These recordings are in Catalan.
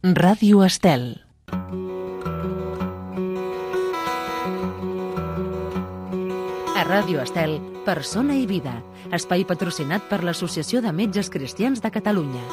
Ràdio Estel. A Ràdio Estel, Persona i Vida, espai patrocinat per l'Associació de Metges Cristians de Catalunya.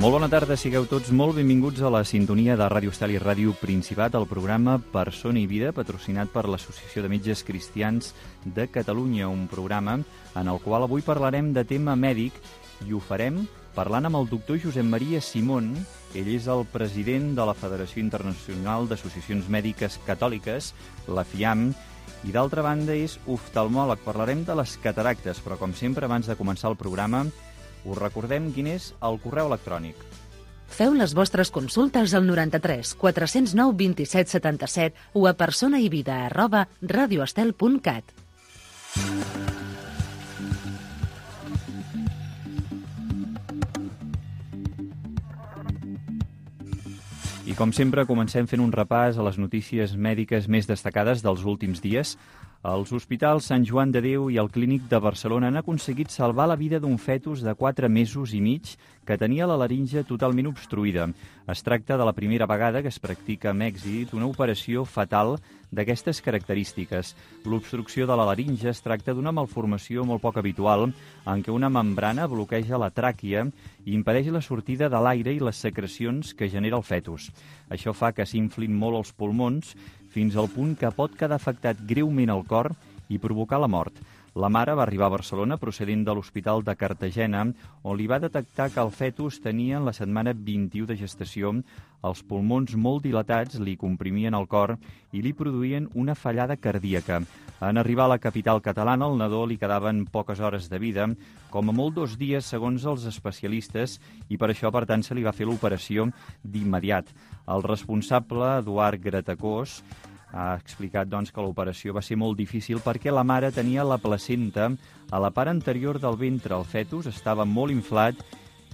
Molt bona tarda, sigueu tots molt benvinguts a la sintonia de Ràdio Estel i Ràdio Principat, el programa Persona i Vida, patrocinat per l'Associació de Metges Cristians de Catalunya, un programa en el qual avui parlarem de tema mèdic i ho farem parlant amb el doctor Josep Maria Simón. Ell és el president de la Federació Internacional d'Associacions Mèdiques Catòliques, la FIAM, i d'altra banda és oftalmòleg. Parlarem de les cataractes, però com sempre, abans de començar el programa, us recordem quin és el correu electrònic. Feu les vostres consultes al 93 409 27 77 o a personaivida@radioestel.cat. I com sempre, comencem fent un repàs a les notícies mèdiques més destacades dels últims dies. Els hospitals Sant Joan de Déu i el Clínic de Barcelona han aconseguit salvar la vida d'un fetus de 4 mesos i mig que tenia la laringe totalment obstruïda. Es tracta de la primera vegada que es practica amb èxit una operació fatal d'aquestes característiques. L'obstrucció de la laringe es tracta d'una malformació molt poc habitual en què una membrana bloqueja la tràquea i impedeix la sortida de l'aire i les secrecions que genera el fetus. Això fa que s'inflin molt els pulmons fins al punt que pot quedar afectat greument el cor i provocar la mort. La mare va arribar a Barcelona procedent de l'Hospital de Cartagena, on li va detectar que el fetus tenia en la setmana 21 de gestació els pulmons molt dilatats, li comprimien el cor i li produïen una fallada cardíaca. En arribar a la capital catalana, al nadó li quedaven poques hores de vida, com a molt 2 dies segons els especialistes, i per això, per tant, se li va fer l'operació d'immediat. El responsable, Eduard Gratacós, ha explicat que l'operació va ser molt difícil perquè la mare tenia la placenta a la part anterior del ventre. El fetus estava molt inflat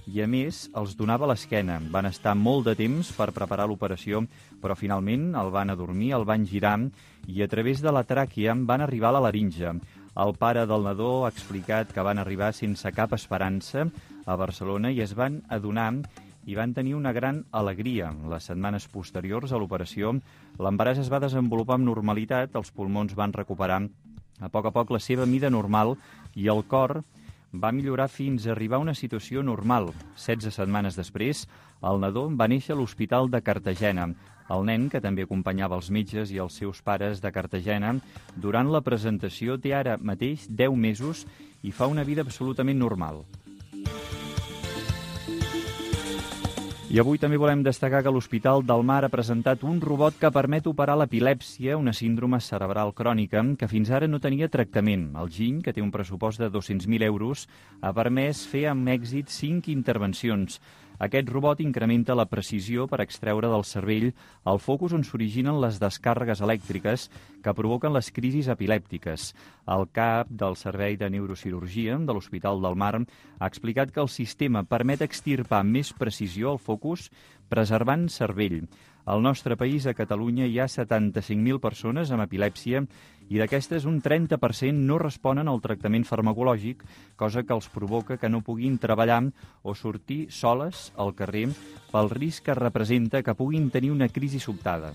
i, a més, els donava l'esquena. Van estar molt de temps per preparar l'operació, però finalment el van adormir, el van girar i a través de la tràquea van arribar a la laringe. El pare del nadó ha explicat que van arribar sense cap esperança a Barcelona i es van adonar i van tenir una gran alegria. Les setmanes posteriors a l'operació, l'embaràs es va desenvolupar amb normalitat, els pulmons van recuperar a poc la seva mida normal i el cor va millorar fins a arribar a una situació normal. 16 setmanes després, el nadó va néixer a l'Hospital de Cartagena. El nen, que també acompanyava els metges i els seus pares de Cartagena, durant la presentació té ara mateix 10 mesos i fa una vida absolutament normal. I avui també volem destacar que l'Hospital del Mar ha presentat un robot que permet operar l'epilèpsia, una síndrome cerebral crònica que fins ara no tenia tractament. El GINC, que té un pressupost de 200.000 euros, ha permès fer amb èxit 5 intervencions. Aquest robot incrementa la precisió per extreure del cervell el focus on s'originen les descàrregues elèctriques que provoquen les crisis epilèptiques. El cap del Servei de Neurocirurgia de l'Hospital del Mar ha explicat que el sistema permet extirpar amb més precisió el focus, preservant cervell. Al nostre país, a Catalunya, hi ha 75.000 persones amb epilèpsia i d'aquestes un 30% no responen al tractament farmacològic, cosa que els provoca que no puguin treballar o sortir soles al carrer pel risc que representa que puguin tenir una crisi sobtada.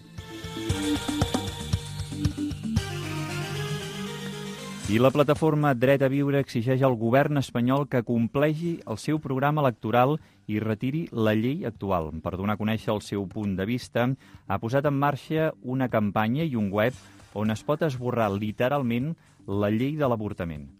I la plataforma Dret a Viure exigeix al govern espanyol que compleixi el seu programa electoral i retiri la llei actual. Per donar a conèixer el seu punt de vista, ha posat en marxa una campanya i un web on es pot esborrar literalment la llei de l'avortament.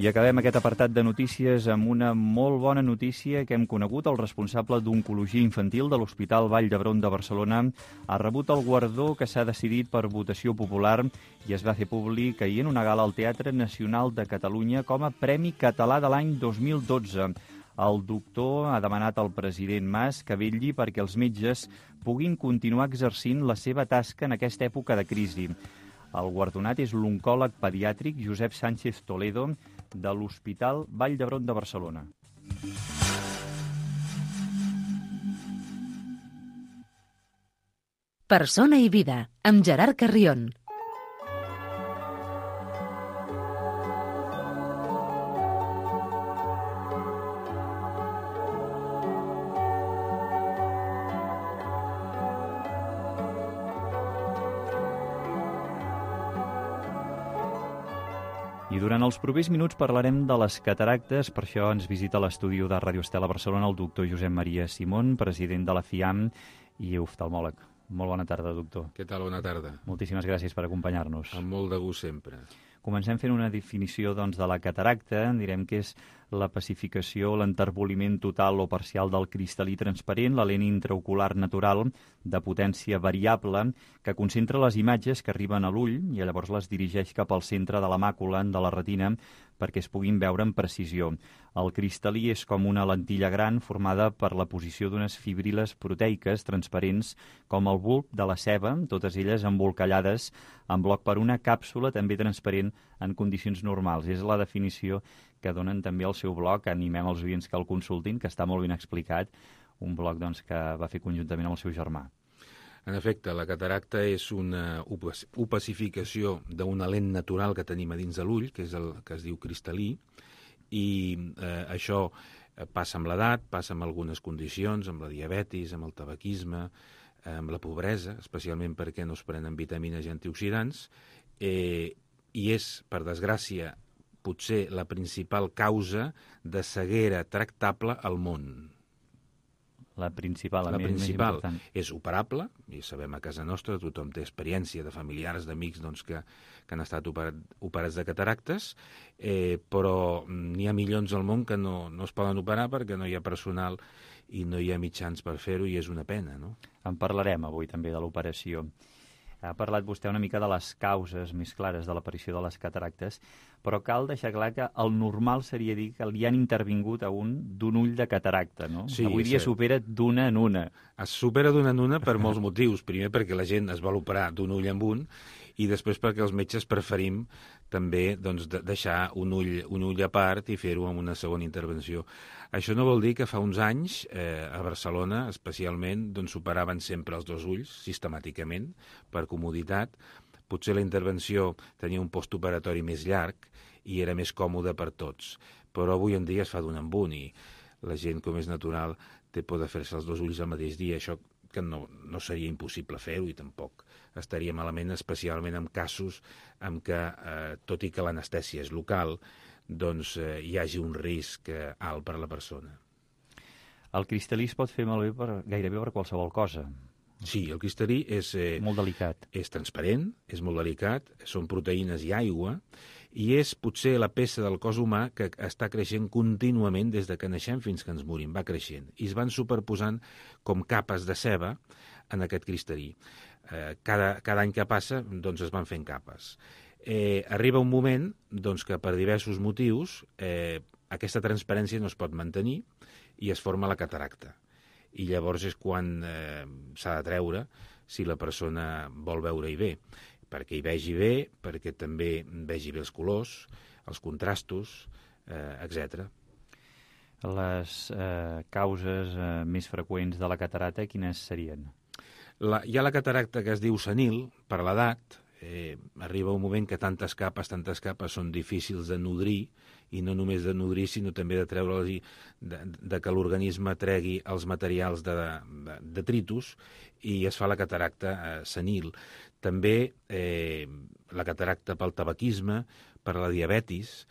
I acabem aquest apartat de notícies amb una molt bona notícia que hem conegut. El responsable d'Oncologia Infantil de l'Hospital Vall d'Hebron de Barcelona ha rebut el guardó que s'ha decidit per votació popular i es va fer públic ahir en una gala al Teatre Nacional de Catalunya com a Premi Català de l'any 2012. El doctor ha demanat al president Mas que vetlli perquè els metges puguin continuar exercint la seva tasca en aquesta època de crisi. El guardonat és l'oncòleg pediàtric Josep Sánchez Toledo de l'Hospital Vall d'Hebron de Barcelona. Persona i vida, amb Gerard Carrión. I durant els propers minuts parlarem de les cataractes. Per això ens visita a l'estudi de Ràdio Estel a Barcelona el doctor Josep Maria Simón, president de la FIAM i oftalmòleg. Molt bona tarda, doctor. Què tal? Bona tarda. Moltíssimes gràcies per acompanyar-nos. Amb molt de gust sempre. Comencem fent una definició de la cataracta. Direm que és la pacificació, l'enterboliment total o parcial del cristal·lí transparent, la lent intraocular natural de potència variable que concentra les imatges que arriben a l'ull i llavors les dirigeix cap al centre de la màcula, de la retina, perquè es puguin veure amb precisió. El cristal·lí és com una lentilla gran formada per la posició d'unes fibriles proteiques transparents com el bulb de la ceba, totes elles embolcallades en bloc per una càpsula també transparent en condicions normals. És la definició que donen també al seu blog. Animem els oients que el consultin, que està molt ben explicat, un blog que va fer conjuntament amb el seu germà. En efecte, la cataracta és una opacificació d'una lent natural que tenim a dins de l'ull, que és el que es diu cristal·lí, i això passa amb l'edat, passa amb algunes condicions, amb la diabetis, amb el tabaquisme, amb la pobresa, especialment perquè no es prenen vitamines i antioxidants, i és, per desgràcia, potser la principal causa de ceguera tractable al món. La principal més important. És operable, i sabem a casa nostra, tothom té experiència de familiars, d'amics que han estat operats de cataractes, però n'hi ha milions al món que no es poden operar perquè no hi ha personal i no hi ha mitjans per fer-ho, i és una pena, no? En parlarem avui també de l'operació. Ha parlat vostè una mica de les causes més clares de l'aparició de les cataractes, però cal deixar clar que el normal seria dir que li han intervingut a d'un ull de cataracta, no? Sí, avui dia supera d'una en una. Es supera d'una en una per molts motius. Primer perquè la gent es vol operar d'un ull en un, i després perquè els metges preferim també deixar un ull a part i fer-ho amb una segona intervenció. Això no vol dir que fa uns anys, a Barcelona especialment, s'operaven sempre els dos ulls, sistemàticament, per comoditat. Potser la intervenció tenia un postoperatori més llarg i era més còmode per tots. Però avui en dia es fa d'un en un i la gent, com és natural, té por de fer-se els dos ulls el mateix dia. Això que no seria impossible fer-ho i tampoc estaria malament, especialment en casos en què, tot i que l'anestèsia és local, hi hagi un risc alt per a la persona. El cristal·lí es pot fer malbé gairebé per qualsevol cosa. Sí, el cristal·lí és molt delicat. És transparent, és molt delicat, són proteïnes i aigua, i és potser la peça del cos humà que està creixent contínuament des de que naixem fins que ens morim, va creixent. I es van superposant com capes de ceba en aquest cristal·lí. Cada any que passa, es van fent capes. Arriba un moment que per diversos motius aquesta transparència no es pot mantenir i es forma la cataracta. I llavors és quan s'ha de treure si la persona vol veure-hi bé, perquè hi vegi bé, perquè també vegi bé els colors, els contrastos, etc. Les causes més freqüents de la cataracta, quines serien? Hi ha la cataracta que es diu senil, per l'edat. Arriba un moment que tantes capes són difícils de nodrir, i no només de nodrir, sinó també de treure-les de que l'organisme tregui els materials de detritus, i es fa la cataracta senil. També la cataracta pel tabaquisme, per la diabetis,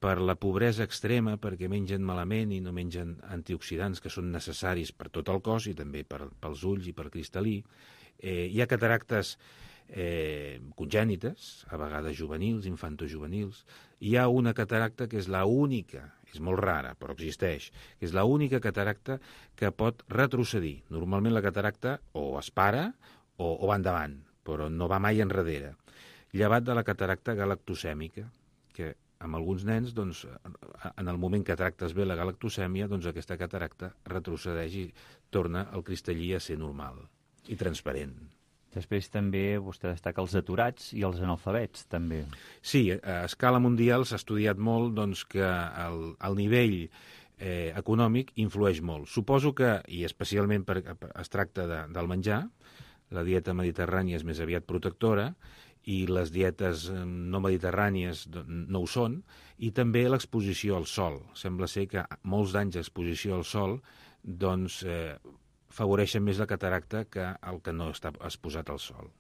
per la pobresa extrema, perquè mengen malament i no mengen antioxidants que són necessaris per tot el cos i també pels ulls i per cristal·lí. Hi ha cataractes congènites, a vegades juvenils, infantojuvenils. Hi ha una cataracta que és l'única, és molt rara, però existeix, que és l'única cataracta que pot retrocedir. Normalment la cataracta o es para o va endavant, però no va mai enrere. Llevat de la cataracta galactosèmica, que amb alguns nens, en el moment que tractes bé la galactosèmia, aquesta cataracta retrocedeix i torna el cristallí a ser normal i transparent. Després també vostè destaca els aturats i els analfabets, també. Sí, a escala mundial s'ha estudiat molt que el nivell econòmic influeix molt. Suposo que, i especialment perquè es tracta del menjar, la dieta mediterrània és més aviat protectora i les dietes no mediterrànies no ho són, i també l'exposició al sol. Sembla ser que molts d'anys d'exposició al sol doncs, favoreixen més la cataracta que el que no està exposat al sol.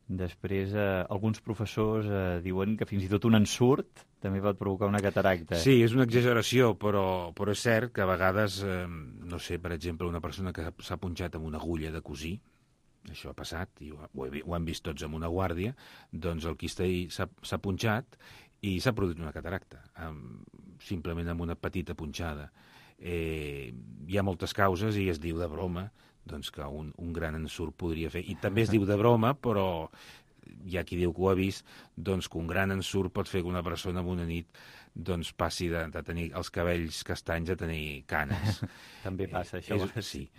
Després, alguns professors diuen que fins i tot un ensurt també pot provocar una cataracta. Sí, és una exageració, però és cert que a vegades, no sé, per exemple, una persona que s'ha punxat amb una agulla de cosir, això ha passat, i ho hem vist tots amb una guàrdia, doncs el quistell s'ha punxat i s'ha produït una cataracta, simplement amb una petita punxada. Hi ha moltes causes i es diu de broma doncs que un gran ensurt podria fer. I també es diu de broma, però hi ha qui diu que ho ha vist, doncs que un gran ensurt pot fer que una persona en una nit doncs passi de tenir els cabells castanys a tenir canes. També passa això. Sí.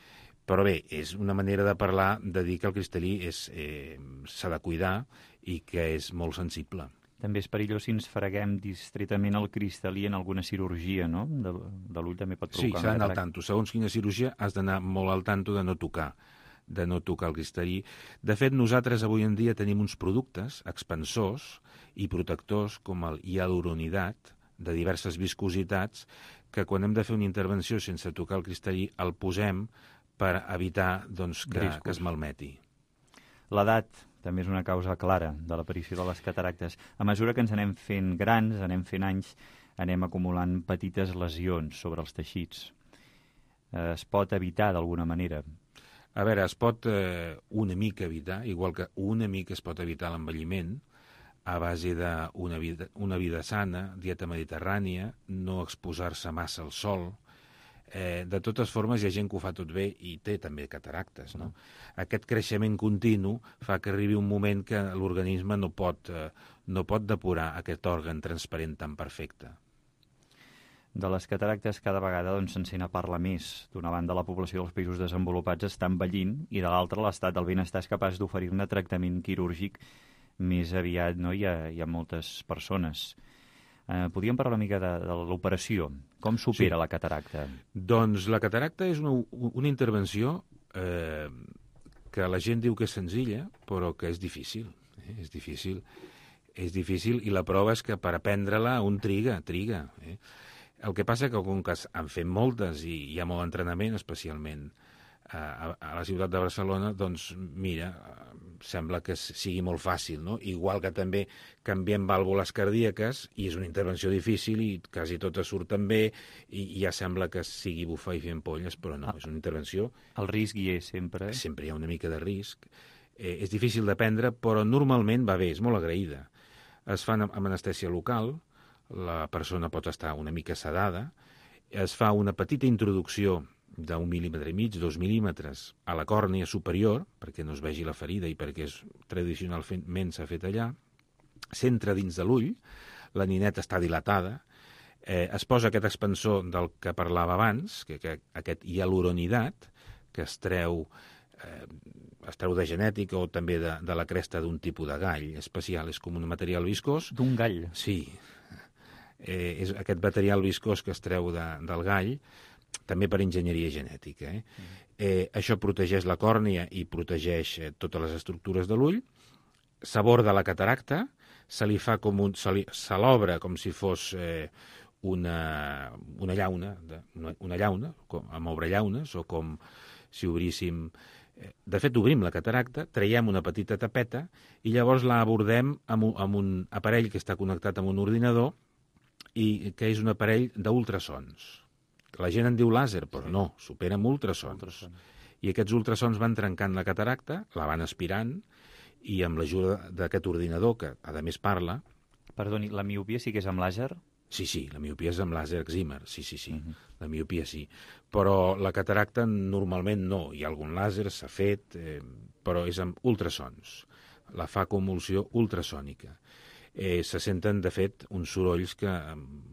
Però bé, és una manera de parlar, de dir que el cristallí s'ha de cuidar i que és molt sensible. També és perillós si ens freguem distretament el cristal·lí en alguna cirurgia, no? De l'ull també pot provocar una cataracta. Sí, s'ha d'anar al tanto. Segons quina cirurgia has d'anar molt al tanto de no tocar el cristallí. De fet, nosaltres avui en dia tenim uns productes expansors i protectors com el hialuronidat, de diverses viscositats, que quan hem de fer una intervenció sense tocar el cristallí el posem per evitar doncs, que es malmeti. L'edat també és una causa clara de l'aparició de les cataractes. A mesura que ens anem fent grans, anem fent anys, anem acumulant petites lesions sobre els teixits. Es pot evitar d'alguna manera? A veure, es pot una mica evitar, igual que una mica es pot evitar l'envelliment, a base d'una vida sana, dieta mediterrània, no exposar-se massa al sol. De totes formes, hi ha gent que ho fa tot bé i té també cataractes, no? Aquest creixement continu fa que arribi un moment que l'organisme no pot depurar aquest òrgan transparent tan perfecte. De les cataractes cada vegada se'n sent a parlar més. D'una banda, la població dels països desenvolupats està envellint i de l'altra, l'estat del benestar és capaç d'oferir-ne tractament quirúrgic més aviat, no? Hi ha moltes persones. Podríem parlar una mica de l'operació. Com s'opera la cataracta? Doncs la cataracta és una intervenció que la gent diu que és senzilla, però que és difícil. És difícil i la prova és que per aprendre-la un triga. El que passa que com que han fet moltes i hi ha molt entrenament, especialment a la ciutat de Barcelona, doncs mira, sembla que sigui molt fàcil, no? Igual que també canviem vàlvules cardíaques i és una intervenció difícil i quasi totes surten bé i ja sembla que sigui bufar i fer ampolles, però no, és una intervenció... El risc hi és sempre. Sempre hi ha una mica de risc. És difícil d'aprendre, però normalment va bé, és molt agraïda. Es fan amb anestèsia local, la persona pot estar una mica sedada, es fa una petita introducció d'1,5 mil·límetres, 2 mil·límetres a la còrnia superior, perquè no es vegi la ferida i perquè tradicionalment s'ha fet allà, s'entra dins de l'ull, la nineta està dilatada, es posa aquest expansor del que parlava abans, que aquest hialuronidat, que es treu de genètica o també de la cresta d'un tipus de gall especial, és com un material viscós. D'un gall? Sí. És aquest material viscós que es treu del gall, també per enginyeria genètica. Això protegeix la còrnia i protegeix totes les estructures de l'ull, s'aborda la cataracta, se se l'obre com si fos una llauna, amb obrellaunes, o com si obríssim... De fet, obrim la cataracta, traiem una petita tapeta i llavors la abordem amb un aparell que està connectat amb un ordinador i que és un aparell d'ultrasons. La gent en diu làser, però no, supera amb ultrasons. I aquests ultrasons van trencant la cataracta, la van aspirant, i amb l'ajuda d'aquest ordinador, que a més parla... Perdoni, la miopia sí que és amb làser? Sí, la miopia és amb làser exímer, sí. La miopia sí. Però la cataracta normalment no. Hi ha algun làser, s'ha fet, però és amb ultrasons. La fa convulsió ultrasònica. Se senten, de fet, uns sorolls que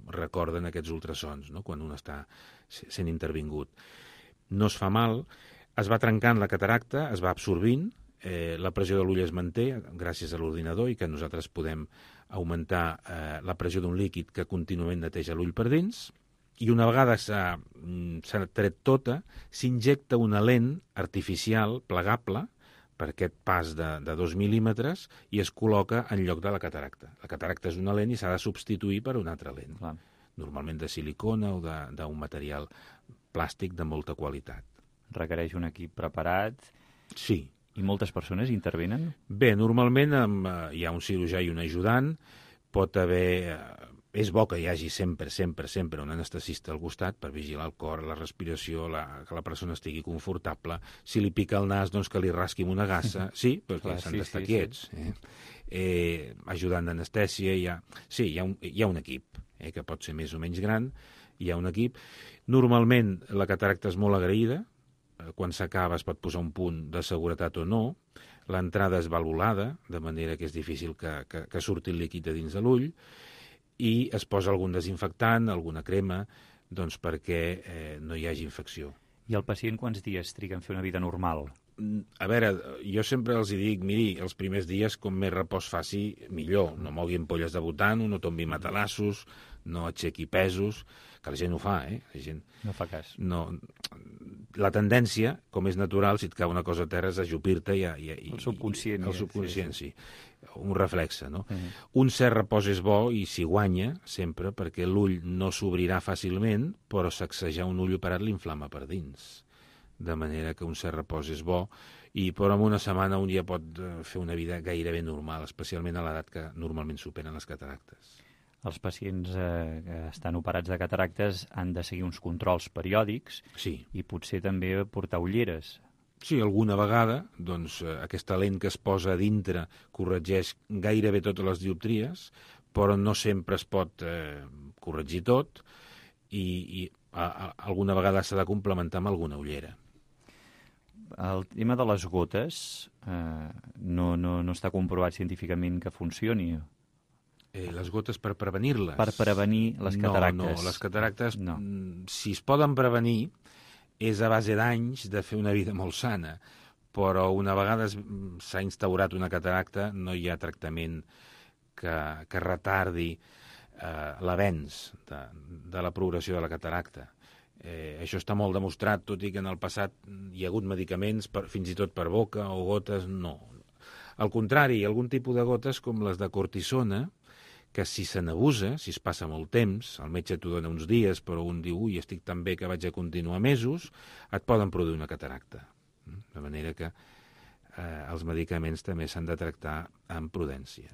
recorden aquests ultrasons, no? Quan un està sent intervingut. No es fa mal, es va trencant la cataracta, es va absorbint, la pressió de l'ull es manté gràcies a l'ordinador i que nosaltres podem augmentar la pressió d'un líquid que contínuament neteja l'ull per dins, i una vegada s'ha tret tota, s'injecta una lent artificial plegable per aquest pas de 2 mil·límetres i es col·loca en lloc de la cataracta. La cataracta és una lent i s'ha de substituir per una altra lent, normalment de silicona o d'un material plàstic de molta qualitat. Requereix un equip preparat. Sí. I moltes persones intervenen? Bé, normalment hi ha un cirurgià i un ajudant, pot haver... És bo que hi hagi sempre un anestesista al costat per vigilar el cor, la respiració, que la persona estigui confortable. Si li pica el nas, doncs que li rasqui amb una gassa. Sí, perquè s'han d'estar quiets. Ajudant d'anestèsia, hi ha un equip, que pot ser més o menys gran, hi ha un equip. Normalment la cataracta és molt agraïda, quan s'acaba es pot posar un punt de seguretat o no, l'entrada és valvulada, de manera que és difícil que surti el líquid de dins de l'ull, i es posa algun desinfectant, alguna crema, doncs perquè no hi hagi infecció. I el pacient quants dies triga en fer una vida normal? A veure, jo sempre els dic, miri, els primers dies com més repòs faci, millor. No mogui ampolles de butano, no tombi matalassos, no aixequi pesos, que la gent ho fa, La gent... No fa cas. No. La tendència, com és natural, si et cau una cosa a terra, és ajupir-te i... El subconscient. El subconscient, sí. Un reflexe, no? Un cert repòs és bo i s'hi guanya, sempre, perquè l'ull no s'obrirà fàcilment, però sacsejar un ull operat l'inflama per dins. De manera que un cert repòs és bo, però en una setmana un ja pot fer una vida gairebé normal, especialment a l'edat que normalment superen les cataractes. Els pacients que estan operats de cataractes han de seguir uns controls periòdics i potser també portar ulleres. Sí, alguna vegada, doncs, aquesta lent que es posa a dintre corregeix gairebé totes les dioptries, però no sempre es pot corregir tot i alguna vegada s'ha de complementar amb alguna ullera. El tema de les gotes no està comprovat científicament que funcioni. Les gotes per prevenir-les? Per prevenir les cataractes. No, les cataractes, si es poden prevenir, és a base d'anys de fer una vida molt sana, però una vegada s'ha instaurat una cataracta no hi ha tractament que retardi l'avenç de la progressió de la cataracta. Això està molt demostrat, tot i que en el passat hi ha hagut medicaments, fins i tot per boca o gotes, no. Al contrari, algun tipus de gotes com les de cortisona, que si se n'abusa, si es passa molt temps, el metge t'ho dona uns dies, però un diu, ui, estic tan bé que vaig a continuar mesos, et poden produir una cataracta. De manera que els medicaments també s'han de tractar amb prudència.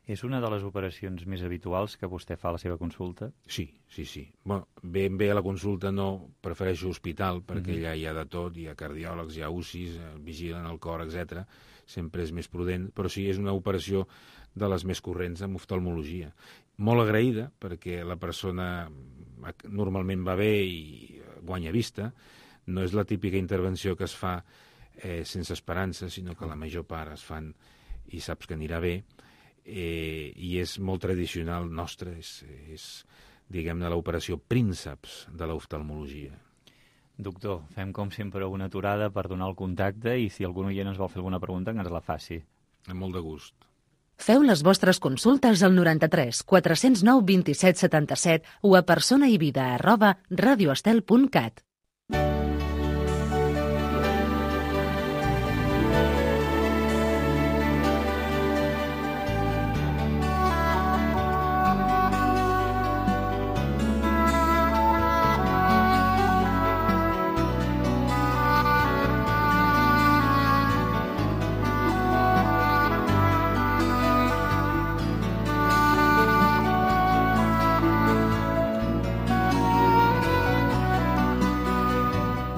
És una de les operacions més habituals que vostè fa a la seva consulta? Sí. Bueno, ben bé a la consulta no, prefereixo hospital, perquè allà hi ha de tot, hi ha cardiòlegs, hi ha UCIs, vigilen el cor, etc. Sempre és més prudent, però sí, és una operació de les més corrents en oftalmologia. Molt agraïda, perquè la persona normalment va bé i guanya vista. No és la típica intervenció que es fa sense esperança, sinó que la major part es fan i saps que anirà bé. I és molt tradicional nostre, és diguem-ne, l'operació prínceps de l'oftalmologia. Doctor, fem com sempre una aturada per donar el contacte i si algun oient ens vol fer alguna pregunta, que ens la faci. Amb molt de gust. Feu les vostres consultes al 93 409 27 77 o a personaivida@radioestel.cat.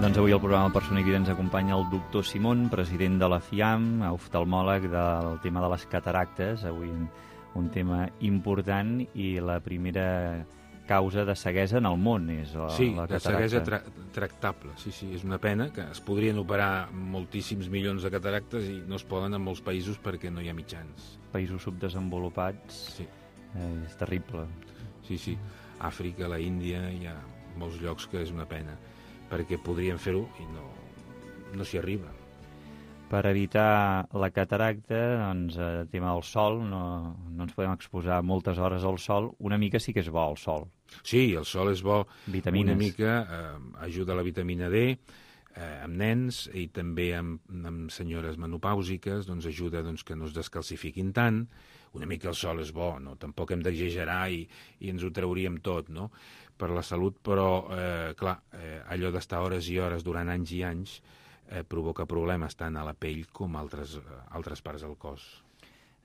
Doncs avui al programa Persona i Vida ens acompanya el doctor Simón, president de la FIAM, oftalmòleg del tema de les cataractes, avui un tema important i la primera causa de ceguesa en el món és la cataracta. Sí, de ceguesa tractable, sí, és una pena que es podrien operar moltíssims milions de cataractes i no es poden en molts països perquè no hi ha mitjans. Països subdesenvolupats, és terrible. Sí, Àfrica, la Índia, hi ha molts llocs que és una pena, perquè podrien fer-ho i no s'hi arriba. Per evitar la cataracta, doncs, el tema del sol, no ens podem exposar moltes hores al sol. Una mica sí que és bo el sol. Sí, el sol és bo. Vitamines. Una mica ajuda la vitamina D, amb nens i també amb senyores menopàusiques, doncs ajuda que no es descalcifiquin tant. Una mica el sol és bo, no? Tampoc hem d'exagerar i ens ho trauríem tot, no? Per la salut, però, clar, allò d'estar hores i hores durant anys i anys provoca problemes tant a la pell com a altres parts del cos.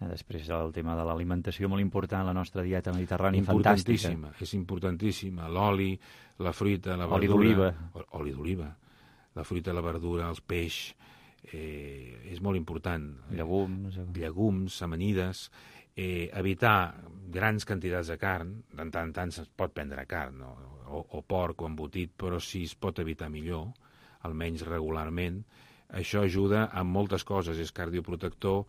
Després el tema de l'alimentació, molt important, la nostra dieta mediterrània, fantàstica. És importantíssima. L'oli, la fruita, la verdura... Oli d'oliva. Oli d'oliva. La fruita, la verdura, els peix... és molt important. Llegums, amanides... evitar grans quantitats de carn, de tant en tant es pot prendre carn, o porc o embotit, però si es pot evitar millor, almenys regularment. Això ajuda a moltes coses, és cardioprotector,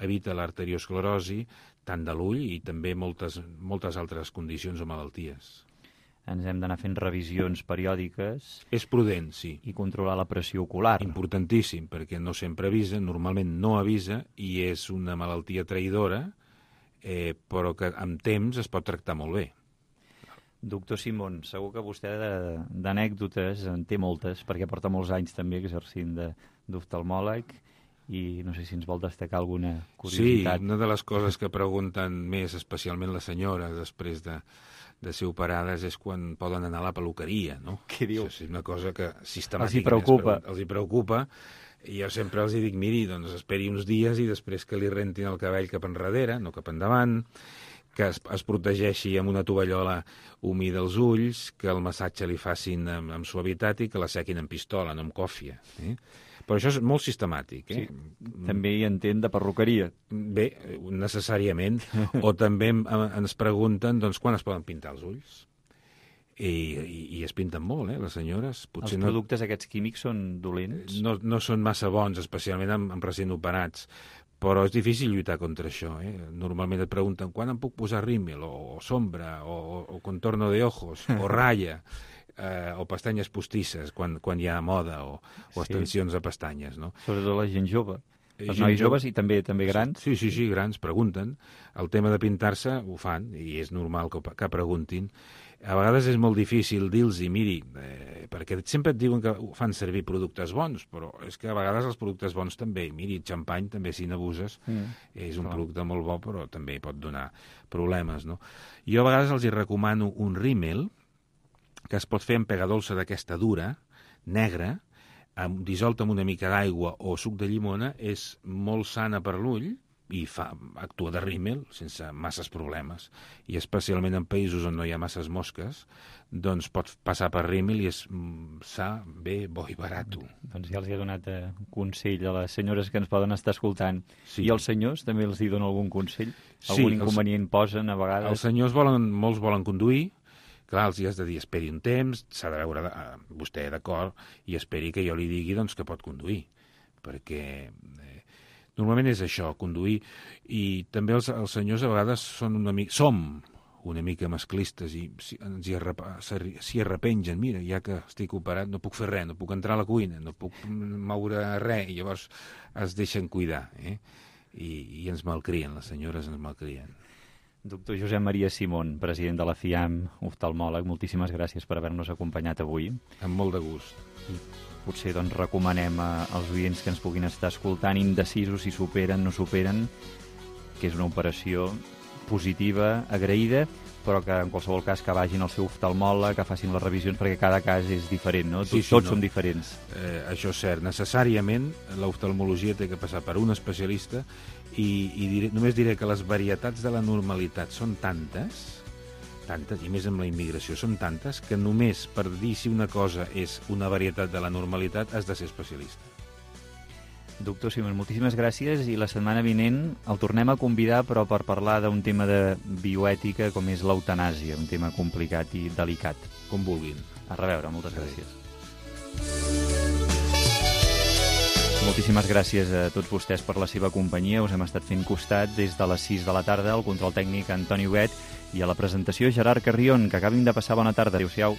evita l'arteriosclerosi, tant de l'ull i també moltes altres condicions o malalties. Ens hem d'anar fent revisions periòdiques. És prudent, sí. I controlar la pressió ocular. Importantíssim, perquè no sempre avisa, normalment no avisa, i és una malaltia traïdora, però que amb temps es pot tractar molt bé. Doctor Simón, segur que vostè d'anècdotes en té moltes, perquè porta molts anys també exercint d'oftalmòleg, i no sé si ens vol destacar alguna curiositat. Sí, una de les coses que pregunten més, especialment les senyores, després de ser operades, és quan poden anar a la peluqueria, no? Què diu? Això és una cosa que sistemàticament els hi preocupa. I jo sempre els dic, miri, doncs esperi uns dies i després que li rentin el cabell cap enrere, no cap endavant, que es protegeixi amb una tovallola humida els ulls, que el massatge li facin amb suavitat i que la sequin amb pistola, no amb còfia. Però això és molt sistemàtic. Sí, també hi entén de perruqueria. Bé, necessàriament. O també ens pregunten quan es poden pintar els ulls. I es pinten molt, les senyores. Els productes aquests químics són dolents? No són massa bons, especialment amb recent operats. Però és difícil lluitar contra això. Normalment et pregunten quan em puc posar rímel, o sombra, o contorno de ojos, o ratlla, o pestanyes postisses, quan hi ha moda, o extensions de pestanyes. No? Sobretot la gent jove. Els nois joves i també grans? Sí, grans, pregunten. El tema de pintar-se ho fan, i és normal que preguntin. A vegades és molt difícil dir-los, miri, perquè sempre et diuen que fan servir productes bons, però és que a vegades els productes bons també, miri, xampany també, si n'abuses, és un producte molt bo, però també pot donar problemes, no? Jo a vegades els hi recomano un rímel, que es pot fer amb pegadolça d'aquesta dura, negra, dissolta amb una mica d'aigua o suc de llimona, és molt sana per l'ull, i actua de rímel sense masses problemes, i especialment en països on no hi ha masses mosques, doncs pot passar per rímel i és sa, bé, bo i barat. Doncs ja els he donat consell a les senyores que ens poden estar escoltant. Sí. I els senyors també els hi donen algun consell? Algun inconvenient posen a vegades? Els senyors molts volen conduir. Clar, els hi has de dir, esperi un temps, s'ha de veure vostè d'acord, i esperi que jo li digui que pot conduir, perquè normalment és això, conduir, i també els senyors a vegades som una mica masclistes i s'hi arrepengen, mira, ja que estic operat no puc fer res, no puc entrar a la cuina, no puc moure res, i llavors es deixen cuidar, i ens malcrien, les senyores ens malcrien. Doctor Josep Maria Simón, president de la FIAM, oftalmòleg, moltíssimes gràcies per haver-nos acompanyat avui. Amb molt de gust. I potser recomanem als oients que ens puguin estar escoltant, indecisos si superen, no superen, que és una operació positiva, agraïda, però que en qualsevol cas que vagin al seu oftalmòleg, que facin les revisions, perquè cada cas és diferent, no? Tots som diferents. Això és cert. Necessàriament l'oftalmologia té que passar per un especialista i només diré que les varietats de la normalitat són tantes, i més amb la immigració, són tantes, que només per dir si una cosa és una varietat de la normalitat has de ser especialista. Doctor Simón, moltíssimes gràcies, i la setmana vinent el tornem a convidar, però per parlar d'un tema de bioètica com és l'eutanàsia, un tema complicat i delicat. Com vulguin. A reveure, moltes gràcies. Moltíssimes gràcies a tots vostès per la seva companyia. Us hem estat fent costat des de les 6 de la tarda, al control tècnic Antoni Huguet, i a la presentació Gerard Carrion. Que acabin de passar bona tarda. Adéu-siau.